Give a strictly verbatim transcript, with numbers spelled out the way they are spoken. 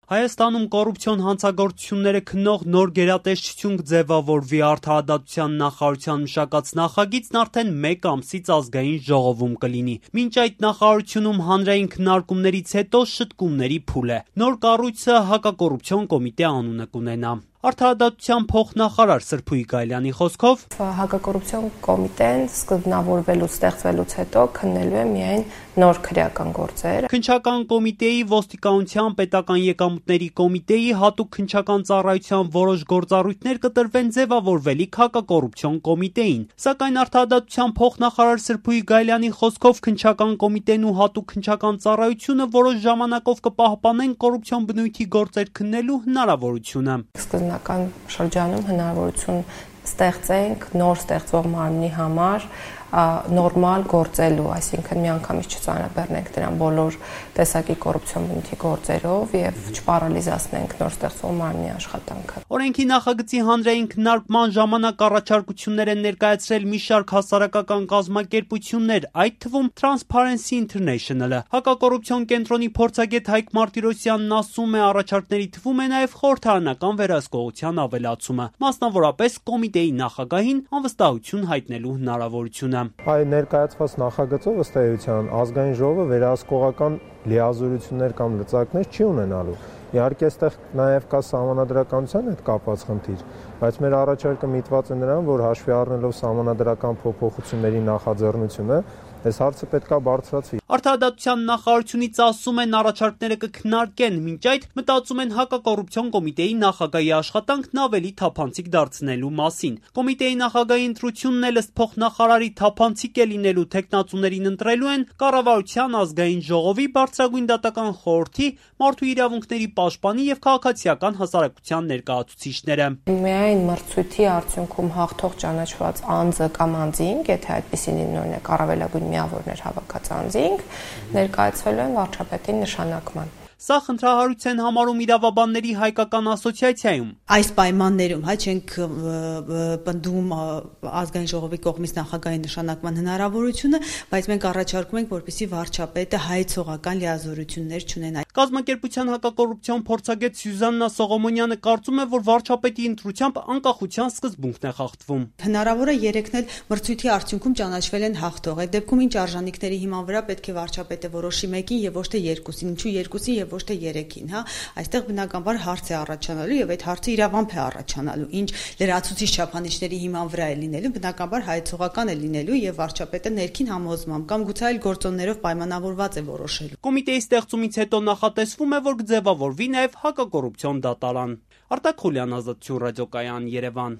Հայաստանում կոռուպցիոն հանցագործությունները քննող նոր գերատեսչություն կձևավորվի, Արդարադատության նախարարության մշակած նախագիծն արդեն մեկ ամսից ազգային ժողովում կլինի։ Մինչ այդ նախարարությունում հանրային քննարկումներից հետո շտկումների փուլ է։ Նոր կառույցը հակակոռուպցիոն կոմիտե անունը կունենա։ Արդարադատության փոխնախարար Սրփուի Գայլյանի խոսքով հակակոռուպցիոն կոմիտեն սկզբնավորվելուց ստեղծվելուց հետո քննելու է միայն նոր քրեական գործեր։ Քննչական կոմիտեի, ոստիկանության, պետական եկամուտների կոմիտեի, հատուկ քննչական ծառայության որոշ գործառույթներ կտրվեն ձևավորվելիք հակակոռուպցիոն կոմիտեին։ Սակայն Արդարադատության փոխնախարար Սրփուի Գայլյանի խոսքով քննչական կոմիտեն ու հատուկ քննչական ծառայությունը որոշ ժամանակով կպահպանեն կոռուպցիոն բնույթի գործեր քննելու հնարավորությունը։ Սկզբնական շրջանում հնարավորություն ստեղծենք նոր ստեղծվող մարմնի համար նորմալ գործելու, այսինքն միանգամից չծանրաբեռնենք դրան բոլոր տեսակի կոռուպցիոն բնույթի գործերով եւ չպարալիզացնենք նոր ստեղծվող մարմնի աշխատանքը։ Օրենքի նախագծի հանրային քննարկման ժամանակ առաջարկություններ են ներկայացրել մի շարք հասարակական կազմակերպություններ, այդ թվում Transparency International-ը։ Հակակոռուպցիոն կենտրոնի փորձագետ Հայկ Մարտիրոսյանն ասում է, առաջարկների թվում է նաեւ խորհրդարանական վերահսկողության ավելացումը, մասնավորապես կոմիտեի նախագահին անվստահություն հայտնելու հնարավորությունը։ Այ ներկայացված նախագծով ըստ էության ազգային ժողովը վերահսկողական լիազորություններ կամ լծակներ չի ունենալու։ Իհարկե, այստեղ նաև կա սահմանադրականության հետ կապված խնդիր, բայց մեր առաջարկը միտված է նրան, որ հաշվի առնելով սահմանադրական փոփոխությունների նախաձեռնությունը, այս հարցը պետք է բարձրացվի։ Արդարադատության նախարարությունից ասում են, առաջարկները կքննարկեն, մինչ այդ մտածում են հակակոռուպցիոն կոմիտեի նախագահի աշխատանքն ավելի թափանցիկ դարձնելու մասին։ Կոմիտեի նախագահի ընտրությունն էլ ըստ փոխնախարարի թափանցիկ է լինելու, թեկնածուներին ընտրելու են կառավարության, ազգային ժողովի, բարձրագույն դատական խորհրդի, մարդու իրավունքների պաշտպանի եւ քաղաքացիական հասարակության ներկայացուցիչները։ Միայն մրցույթի արդյունքում հաղթող ճանաչված անձը կամ անձինք, եթե այդպեսին օրինակ առավելագույն միավորներ հավաքած անձինք, ներկայացվելու են վարչապետի նշանակման։ Սա խնդրահարույց են համարում իրավաբանների հայկական ասոցիացիայում։ Այս պայմաններում հա չենք պնդում ազգային ժողովի կողմից նախագահի նշանակման հնարավորությունը, բայց մենք առաջարկում ենք, որպեսզի վարչապետը հայեցողական լիազորություններ չունենա։ Կազմակերպության հակակոռուպցիոն փորձագետ Սյուզաննա Սողոմոնյանը կարծում է, որ վարչապետի ընտրությամբ անկախության սկզբունքն է խախտվում։ Հնարավոր է երեքն էլ մրցույթի արդյունքում ճանաչվել են հաղթող։ Այդ դեպքում ինչ արժանինքների հիման վրա պետք է վարչապետը որոշի մեկին եւ ոչ թե երկուսին, ինչու երկուսին եւ ոչ թե երեքին, հա, այստեղ բնականաբար հարց է առաջանալու եւ այդ հարցը իրավամբ է առաջանալու, ինչ լրացուցիչ չափանիշների հիման վրա է լինելու, բնականաբար հայեցողական է լինելու եւ վարչապետը ներքին համոզմամբ կամ գուցե այլ գործոններով պայմանավորված է որոշելու։ Կոմիտեի ստեղծումից հետո նախատեսվում է, որ կձևավորվի նաեւ հակակոռուպցիոն դատարան։ Արտակ Խուլյան, Ազատություն ռադիոկայան, Երևան։